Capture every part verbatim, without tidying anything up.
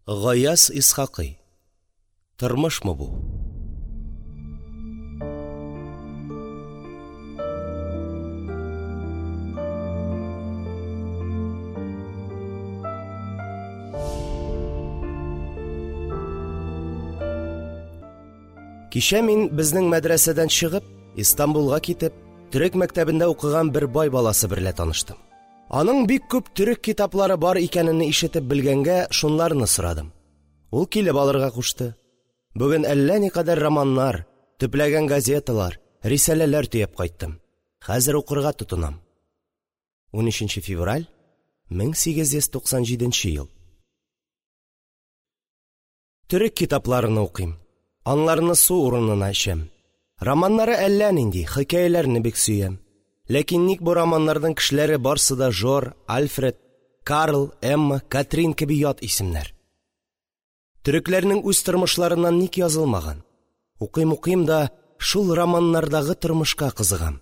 Гаяз Исхакый. Тормышмы бу? Кичә мин безнең мәдрәсәдән чыгып, Истанбулга китеп, төрек мәктәбендә укыган бер бай баласы берлә таныштым. Аның бик күп төрек китаплары бар икәнене ишетеп белгәнгә, шунларны сорадым. Ул килеп алырга кушты. Бүген әллә никадәр романнар, төпләгән газеталар, рисаләләр төяп кайттым. Хәзер укырга тотынам. унөченче февраль мең сигез йөз туксан җиденче ел. Төрек китапларыны укыйм. Анларны су урынына эчәм. Романнары әллә нинди, хикәяләрне бик сөям. Ләкин ник бу романнарның кешеләре барсы да Жор, Альфред, Карл, Эмма, Катрин кеби ят исемнәр. Төрекләрнең үз тормышларыннан ник язылмаган? Укыйм укыйм да шул романнардагы тормышка кызыгам.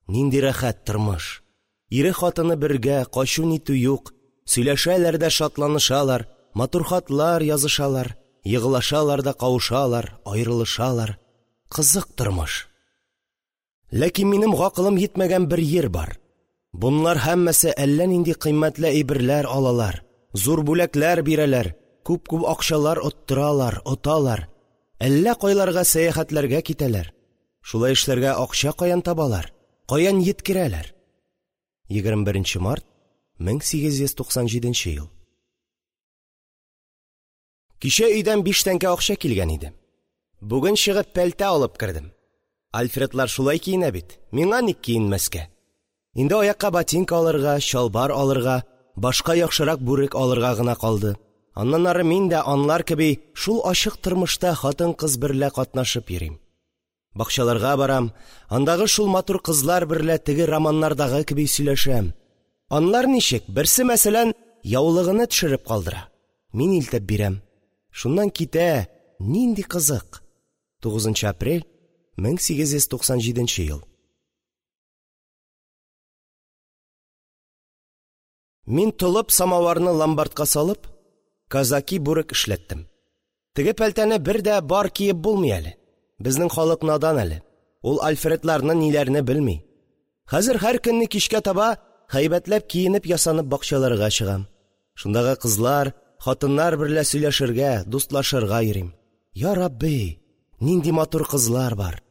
Нинди рәхәт тормыш. Ире хатыны бергә, качу нитү юк, сөйләшәләр дә шатланышалар, матур хатлар язышалар, егылашалар да кавышалар, аерылышалар. Кызык тормыш. Ләкин минем гакылым йитмәгән бер йир бар. Бунлар һәммәсе әллә нинди кыйммәтле әйберләр алалар, зур бүләкләр бирәләр, күп-күп акчалар оттыралар, оталар, әллә кайларга сәяхәтләргә китәләр. Шулай эшләргә акча каян табалар, каян йиткерәләр? егерме беренче март мең сигез йөз туксан җиденче ел. Кичә өйдән биш тәңкә акча килгән иде. Бүген чыгып пәлтә алып кердем. Альфредлар шулай киенә бит. Миңа ник киенмәскә? Инде аякка ботинка алырга, чалбар алырга, башка яхшырак бүрек алырга гына калды. Аннан ары мин дә анлар кеби шул ачык тормышта хатын-кыз берлә катнашып йөрим. Бакчаларга барам, андагы шул матур кызлар берлә теге романнардагы кеби сөйләшәм. Анлар ничек? Берсе, мәсәлән, яулыгыны төшереп калдыра. Мин илтеп бирәм. Шуннан китә, нинди кызык. тугызынчы апрель мең сигез йөз туксан җиденче ел. Мин толып самаварны ломбардка салып, казаки бүрек эшләттем. Теге пәлтәне бер дә бар киеп булмый әле. Безнең халык надан әле. Ул Альфредларны ниләрне белми. Хәзер һәр көнне кичкә таба һәйбәтләп киенеп ясанып бакчаларга чыгам. Шундагы кызлар, хатыннар берлә сөйләшергә, дустлашырга йөрим. Я Рабби, нинди матур кызлар бар.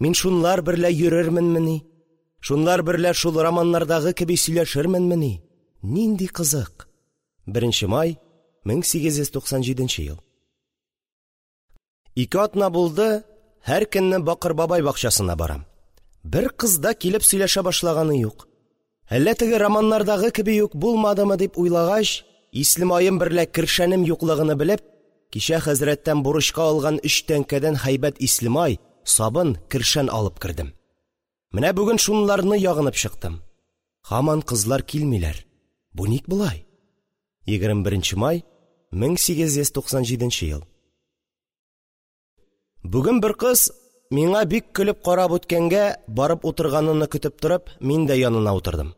Мин шунлар берлә йөрерменмени? Шунлар берлә шул романнардагы кеби сөйләшерменмени? Нинди кызык. беренче май мең сигез йөз туксан җиденче ел. Ике атна булды, һәр көнне Бакыр бабай бакчасына барам. Бер кыз да килеп сөйләшә башлаганы юк. Әллә теге романнардагы кеби үк булмадымы дип уйлагач, ислемаем берлә кершәнем юклыгыны белеп, кичә хәзрәттән бурычка алган өч тәңкәдән һәйбәт ислемай, сабын, кершән алып кердем. Менә бүген шунларны ягынып чыктым. Һаман кызлар килмиләр. Бу ник болай? егерме беренче май мең сигез йөз туксан җиденче ел. Бүген бер кыз миңа бик көлеп карап үткәнгә, барып утырганыны көтеп торып, мин дә янына утырдым.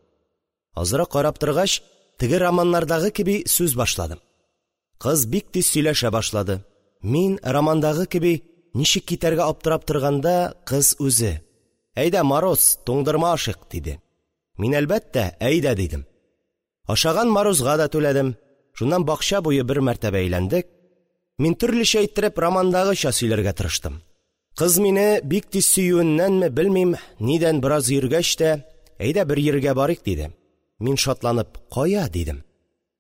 Азрак карап торгач, теге романнардагы кеби сүз башладым. Кыз бик тиз сөйләшә башлады. Мин романдагы кеби ничек китәргә аптырап торганда, кыз үзе: "Әйдә, мороз, туңдырма ашыйк", диде. Мин әлбәттә, "Әйдә" дидем. Ашаган морозга да түләдем. Шуннан бакча буе бер мәртәбә әйләндек. Мин төрлечә иттереп романдагыча сөйләргә тырыштым. Кыз мине бик тиз сөюеннәнме белмим, нидән бераз йөргәч тә, "Әйдә бер йиргә барыйк" диде. Мин шатланып, "Кая?" дидем.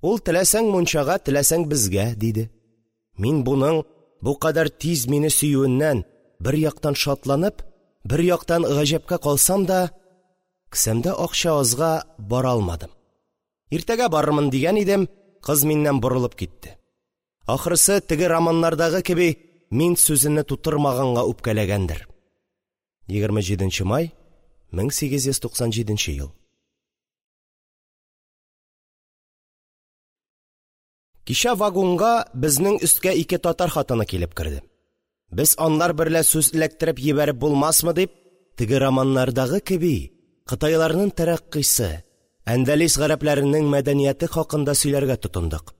Ул теләсәң мунчага, теләсәң безгә, диде. Мин буның бу кадәр тиз мине сөюеннән бер яктан шатланып, бер яктан гаҗәпкә калсам да, кесәмдә акча азга бара алмадым. Иртәгә барырмын дигән идем, кыз миннән борылып китте. Ахрысы теге романнардагы кеби мин сүзене тутырмаганга үпкәләгәндер. егерме җиденче май мең сигез йөз туксан җиденче ел. Кичә вагонга безнең өскә ике татар хатыны килеп керде. Без анлар берлә сүз эләктереп җибәреп булмасмы дип, теге романнардагы кеби Кытайларның тәрәккыйсы, Әндәлес гарәпләренең мәдәнияте хакында сөйләргә тотындык.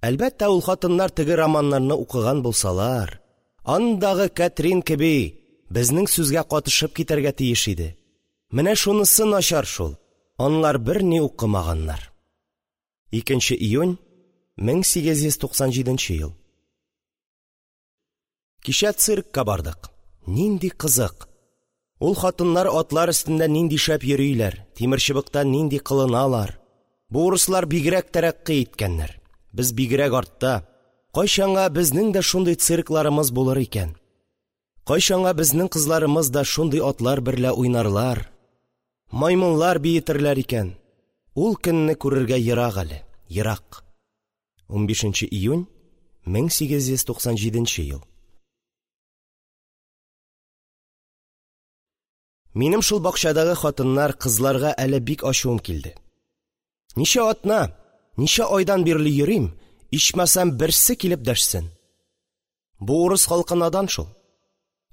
Әлбәттә, ул хатыннар теге романнарны укыган булсалар, андагы Катрин кеби безнең сүзгә катышып китәргә тиеш иде. Менә шунысы начар шул, анлар берни укымаганнар. икенче июнь мең сигез йөз туксан җиденче ел. Кичә циркка бардык. Нинди кызык! Ул хатыннар атлар өстендә нинди шәп йөриләр, тимерчыбыкта нинди кылыналар. Бу урыслар бигрәк тәрәккый иткәннәр. Без бигрәк артта. Кайчанга безнең дә шундый циркларымыз булыр икән? Кайчанга безнең кызларымыз да шундый атлар берлә уйнарлар, маймыллар биетерләр икән? Ул көнне күрергә ерак әле, ерак. унбишенче июнь мең сигез йөз туксан җиденче ел. Минем шул бакчадагы хатыннар, кызларга әле бик ачуым килде. Ничә атна, ничә айдан бирле йөрим, ичмасам берсе килеп дәшсен. Бу урыс халкы надан шул.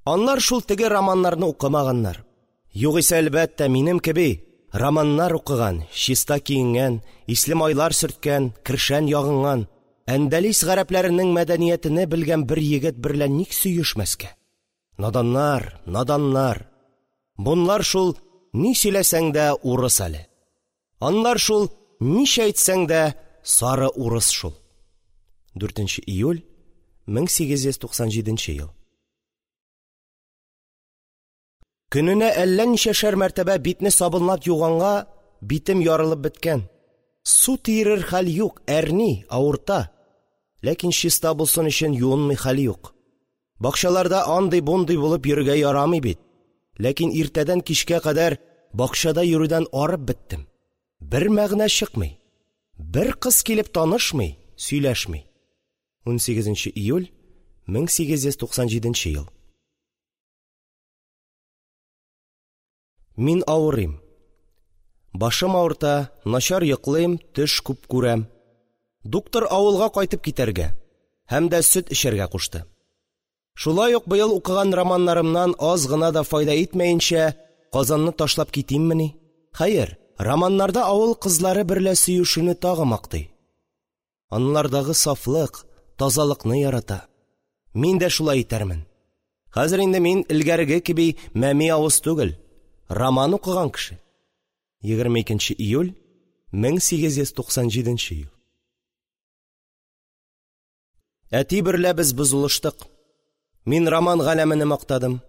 Анлар шул теге романнарны укымаганнар. Югыйсә, әлбәттә, минем кеби романнар укыган, чиста киенгән, исле майлар сөрткән, кершән ягынган, Әндәлис гарәпләренең мәдәниятене белгән бер егет берлә ник сөешмәскә? Наданнар, наданнар. Бунлар шул ни сөйләсәң дә урыс әле. Анлар шул ничә әйтсәң дә сары урыс шул. дүртенче июль мең сигез йөз туксан җиденче ел. Көненә әллә ничәшәр мәртәбә битне сабынлап юганга битем ярылып беткән. Су тиерер хәл юк, әрни, авырта. Ләкин чиста булсын өчен юынмый хәл юк. Бакчаларда андый-бундый булып йөрергә ярамый бит. Ләкин иртәдән кичкә кадәр бакчада йөрүдән арып беттем. Бер мәгънә чыкмый. Бер кыз килеп танышмый, сөйләшми. унсигезенче июль мең сигез йөз туксан җиденче ел. Мин авырыйм. Башым авырта, начар йоклыйм, төш күп күрәм. Доктор авылга кайтып китәргә һәм дә сөт эчәргә кушты. Шулай ук быел укыган романнарымнан аз гына да файда итмәенчә Казанны ташлап китиммени? Хәер, романнарда авыл кызлары берлә сөешүне тагы мактый. Анлардагы сафлык, тазалыкны ярата. Мин дә шулай итәрмен. Хәзер инде мин элгәреге кеби мәми авыз түгел, роман укыган кеше. егерме икенче июль мең сигез йөз туксан җиденче ел. Әти берлә без бозылыштык. Мин роман галәмене мактадым.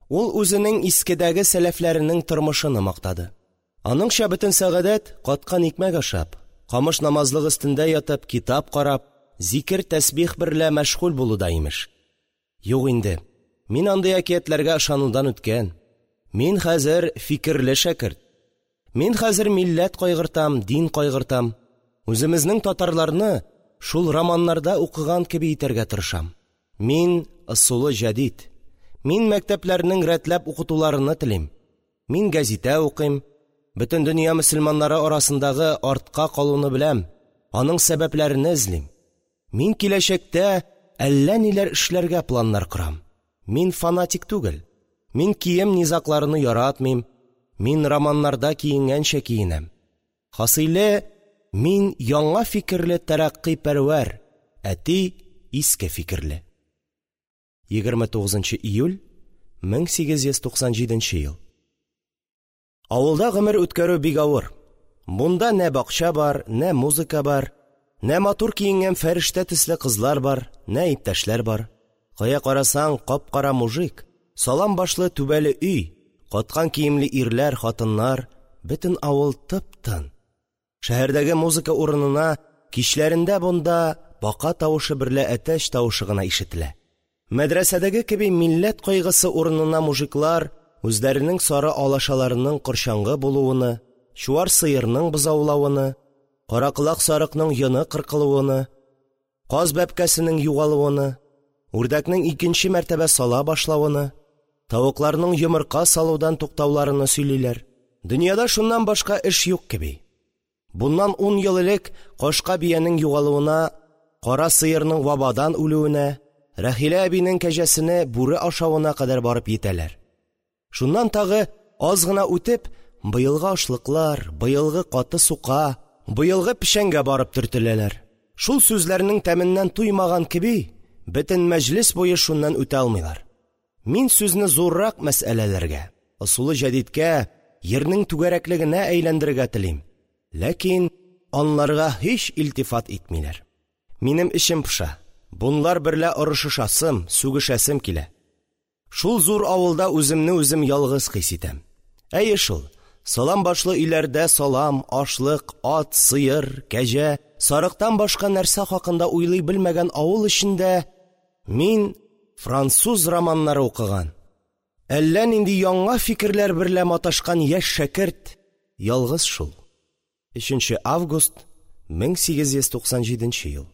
Ул үзенең искедәге сәләфләренең тормышыны мактады. Аныңча бөтен сәгадәт каткан икмәк ашап, камыш намазлык өстендә ятып, китап карап, зикер тәсбих берлә мәшгуль булуда имеш. Юк инде, мин андый әкиятләргә ышанудан үткән. Мин хәзер фикерле шәкерт. Мин хәзер милләт кайгыртам, дин кайгыртам. Үземезнең татарларны шул романнарда укыган кеби итәргә тырышам. Мин ысулы җәдид. Мин мәктәпләрнең рәтләп укытуларыны телим. Мин гәзитә укыйм. Бөтен дөнья мөселманнары арасындагы артка калуны беләм. Аның сәбәпләрен эзлим. Мин киләчәктә әллә ниләр эшләргә планнар корам. Мин фанатик түгел. Мин кием низакларыны яратмыйм. Мин романнарда киенгәнчә киенәм. Хасыйле, мин яңа фикерле тәрәккый пәрвәр, әти иске фикерле. егерме тугызынчы июль мең сигез йөз туксан җиденче ел. Авылда гомер үткәрү бик авыр. Бунда нә бакча бар, нә музыка бар, нә матур киенгән фәрештә төсле кызлар бар, нә иптәшләр бар. Кая карасаң, кап-кара мужик, салам башлы түбәле өй, каткан киемле ирләр, хатыннар, бөтен авыл тып-тын. Шәһәрдәге музыка урынына кичләрендә бунда бака тавышы берлә әтәч тавышы гына ишетелә. Мәдрәсәдәге кеби милләт кайгысы урынына мужиклар үзләренең сары алашаларының корчаңгы булуыны, чуар сыерның бозаулавыны, караколак сарыкның йоны кыркылуыны, каз бәбкәсенең югалуыны, үрдәкнең икенче мәртәбә сала башлавыны, тавыкларның йомырка салудан туктауларыны сөйлиләр. Дөньяда шуннан башка эш юк кеби. Буннан ун ел элек кашка биянең югалуына, кара сыерның вабадан үлүенә, Рәхилә әбинең кәҗәсене бүре ашавына кадәр барып йитәләр. Шуннан тагы аз гына үтеп, быелгы ашлыклар, быелгы каты сука, быелгы печәнгә барып төртеләләр. Шул сүзләрнең тәменнән туймаган кеби, бөтен мәҗлес буе шуннан үтә алмыйлар. Мин сүзне зуррак мәсьәләләргә, ысулы җәдидкә, йирнең түгәрәклегенә әйләндерергә телим. Ләкин анларга һич илтифат итмиләр. Минем эчем поша. Бунлар берлә орышышасым, сүгешәсем килә. Шул зур авылда үземне үзем ялгыз хис итәм. Әйе шул, салам башлы өйләрдә салам, ашлык, ат, сыер, кәҗә, сарыктан башка нәрсә хакында уйлый белмәгән авыл эчендә мин француз романнары укыган, әллә нинди яңа фикерләр берлә маташкан яшь шәкерт ялгыз шул. Өченче август мең сигез йөз туксан җиденче ел.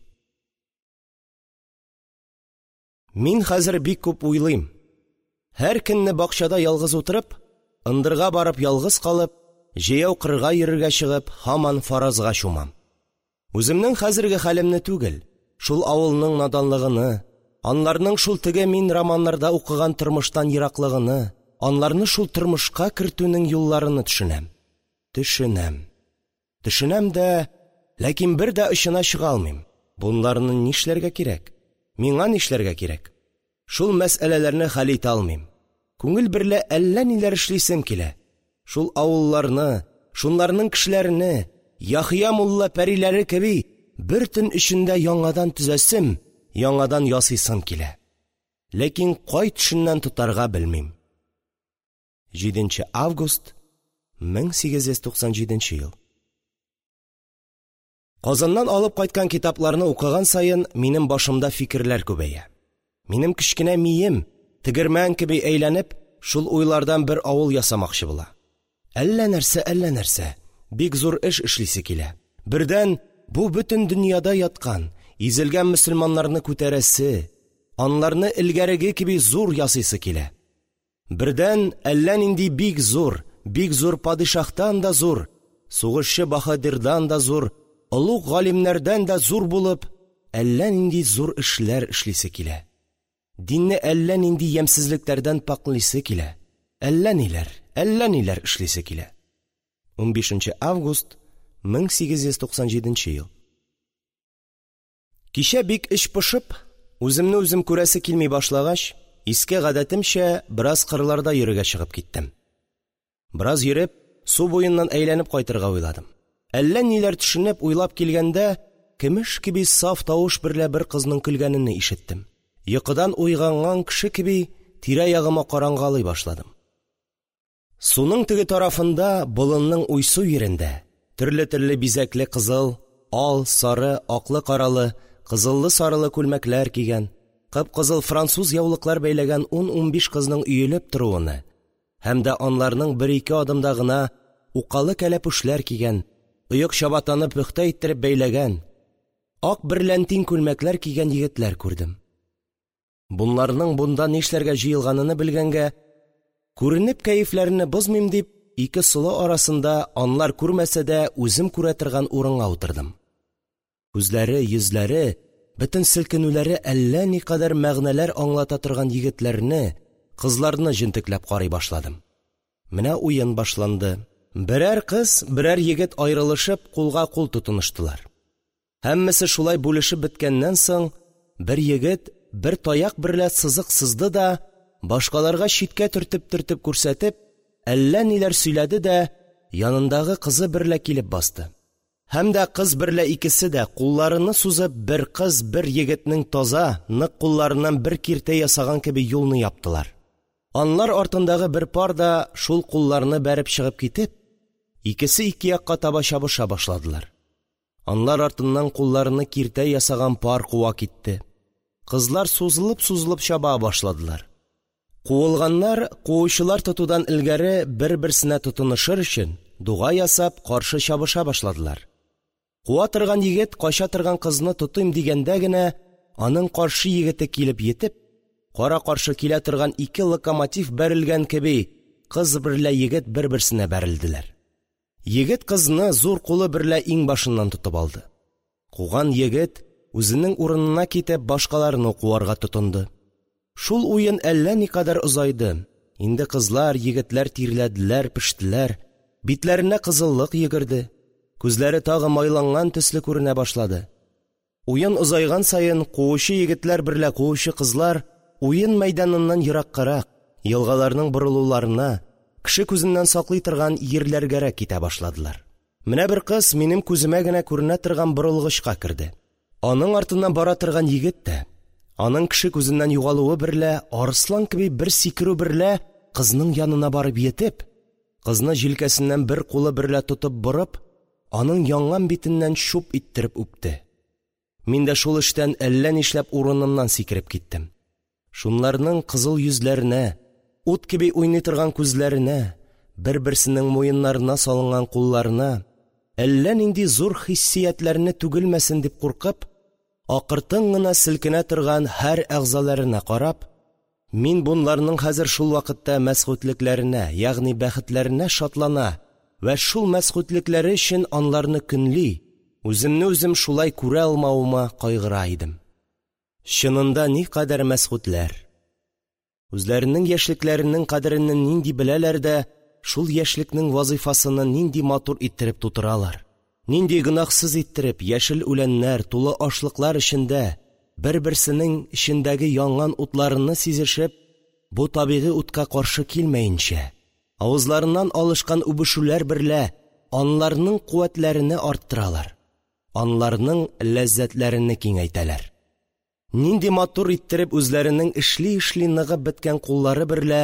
Мин хәзер бик күп уйлыйм. Һәр көнне бакчада ялгыз утырып, ындырга барып ялгыз калып, җәяү кырга йөрергә чыгып, һаман фаразга чумам. Үземнең хәзерге хәлемне түгел, шул авылның наданлыгыны, анларның шул теге мин романнарда укыган тормыштан ераклыгыны, анларны шул тормышка кертүнең юлларыны төшенәм. Төшенәм. Төшенәм дә, ләкин бер дә очына чыга алмыйм. Бунларны нишләргә кирәк? Миңа нишләргә кирәк? Шул мәсьәләләрне хәл итә алмыйм. Күңел берлә әллә ниләр эшлисем килә. Шул авылларны, шунларның кешеләрен, Яхъя мулла пәриләре кеби бер төн эчендә яңадан төзәсем, яңадан ясыйсым килә. Ләкин кай төшеннән тотарга белмим. Җиденче август мең сигез йөз туксан җиденче ел. Казаннан алып кайткан китапларны укыган саен минем башымда фикерләр күбәя. Минем кечкенә мием тегермән кеби әйләнеп, шул уйлардан бер авыл ясамакчы була. Әллә нәрсә, әллә нәрсә, бик зур эш эшлисе килә. Бердән бу бөтен дөньяда яткан, изелгән мөселманнарны күтәрәсе, анларны элгәреге кеби зур ясыйсы килә. Бердән әллә нинди бик зур, бик зур падишаһтан да зур, сугышчы баһадирдан да зур, олуг галимнәрдән дә зур булып, әллә нинди зур эшләр эшлисе килә. Динне әллә нинди ямьсезлекләрдән пакълисе килә. Әллә ниләр, әллә ниләр эшлисе килә. Унбишенче август мең сигез йөз туксан җиденче ел. Кичә бик эч пошып, үземне үзем күрәсе килми башлагач, иске гадәтемчә бераз кырларда йөрергә чыгып киттем. Бераз йөреп, су буеннан әйләнеп кайтырга уйладым. Әллә ниләр төшенеп уйлап килгәндә, көмеш кеби саф тавыш берлә бер кызның көлгәнен ишеттем. Йокыдан уйганган кеше кеби тирә-ягыма карангалый башладым. Суның теге тарафында, болынның уйсу yerендә, төрле-төрле бизәкле кызыл, ал, сары, аклы-каралы, кызыллы-сарылы күлмәкләр кигән, кып-кызыл француз яулыклар бәйләгән ун-унбиш кызның өелеп торуыны һәм дә анларның бер-ике адымда гына укалы кәләпүшләр кигән, оек чабатаны пөхтә иттереп бәйләгән, ак берләнтин күлмәкләр кигән егетләр күрдем. Бунларның бунда нишләргә җыелганыны белгәнгә, күренеп кәефләрне бозмыйм дип, ике солы арасында анлар күрмәсә дә үзем күрә торган урынга утырдым. Күзләре, йөзләре, бөтен селкенүләре әллә никадәр мәгънәләр аңлата торган егетләрне, кызларны җентекләп карый башладым. Менә уен башланды. Берәр кыз, берәр егет аерылышып, кулга кул тотыныштылар. Һәммәсе шулай бүлешеп беткәннән соң, бер егет бер таяк берлә сызык сызды да, башкаларга читкә төртеп-төртеп күрсәтеп, әллә ниләр сөйләде дә, янындагы кызы берлә килеп басты. Һәм дә кыз берлә икесе дә кулларыны сузып, бер кыз, бер егетнең таза, нык кулларыннан бер киртә ясаган кеби юлны яптылар. Анлар артындагы бер пар да шул кулларны бәреп чыгып китеп, икесе ике якка таба чабыша башладылар. Анлар артыннан кулларны киртә ясаган пар куа китте. Кызлар сузылып-сузылып чаба башладылар. Куылганнар, куучылар тотудан элгәре бер-берсенә тотынышыр өчен дуга ясап каршы чабыша башладылар. Куа торган егет кача торган кызны тотыйм дигәндә генә, аның каршы егете килеп йетеп, кара-каршы килә торган ике локомотив бәрелгән кеби, кыз берлә егет бер-берсенә бәрелделәр. Егет кызны зур кулы берлә иңбашыннан тотып алды. Куган егет үзенең урынына китеп башкаларны куарга тотынды. Шул уен әллә никадәр озайды. Инде кызлар, егетләр тирләделәр, пештеләр, битләренә кызыллык йөгерде, күзләре тагы майланган төсле күренә башлады. Уен озайган саен, куучы егетләр берлә куучы кызлар уен мәйданыннан ераккарак, елгаларның борылуларына, кеше күзеннән саклый торган йирләргәрәк китә башладылар. Менә бер кыз минем күземә генә күренә торган борылгычка керде. Аның артыннан бара торган егет тә, аның кеше күзеннән югалуы берлә, арыслан кеби бер сикерү берлә кызның янына барып йитеп, кызны җилкәсеннән бер кулы берлә тотып борып, аның янган битеннән чуп иттереп үпте. Мин дә шул эштән әллә нишләп урынымнан сикереп киттем. Шунларның кызыл йөзләренә, ут кеби уйный торган күзләренә, бер-берсенең муеннарына салынган кулларына, әллә нинди зур хиссиятләрне түгелмәсен дип куркып, акыртын гына селкенә торган һәр әгъзаларына карап, мин бунларның хәзер шул вакытта мәсгудлекләренә, ягъни бәхетләренә шатлана вә шул мәсгудлекләре өчен анларны көнли, үземне үзем шулай күрә алмавыма кайгыра идем. Чынында никадәр мәсгудләр! Үзләренең яшьлекләренең кадерене нинди беләләр дә, шул яшьлекнең вазифасыны нинди матур иттереп тутыралар, нинди гөнаһсыз иттереп яшел үләннәр, тулы ашлыклар эчендә бер-берсенең эчендәге янган утларыны сизешеп, бу табигый утка каршы килмәенчә, авызларыннан алышкан үбешүләр берлә анларның куәтләрене арттыралар, анларның ләззәтләрене киңәйтәләр. Нинди матур иттереп үзләренең эшли-эшли ныгып беткән куллары берлә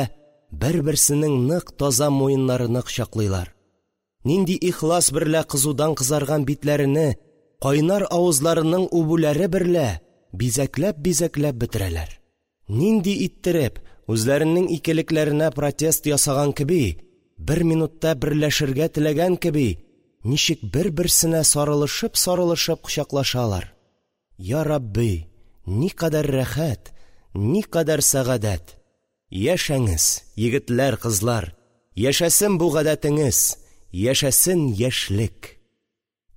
бер-берсенең нык таза муеннарыны кочаклыйлар. Нинди ихлас берлә кызудан кызарган битләрене кайнар авызларының үбүләре берлә бизәкләп-бизәкләп бетерәләр. Нинди иттереп үзләренең икелекләренә протест ясаган кеби, бер минутта берләшергә теләгән кеби, ничек бер-берсенә сарылышып-сарылышып кочаклашалар. Я Рабби, никадәр рәхәт, никадәр сәгадәт! Яшәңез, егетләр, кызлар, яшәсен бу гадәтеңез, яшәсен яшьлек.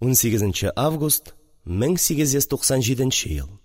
унсигезенче август мең сигез йөз туксан җиденче ел.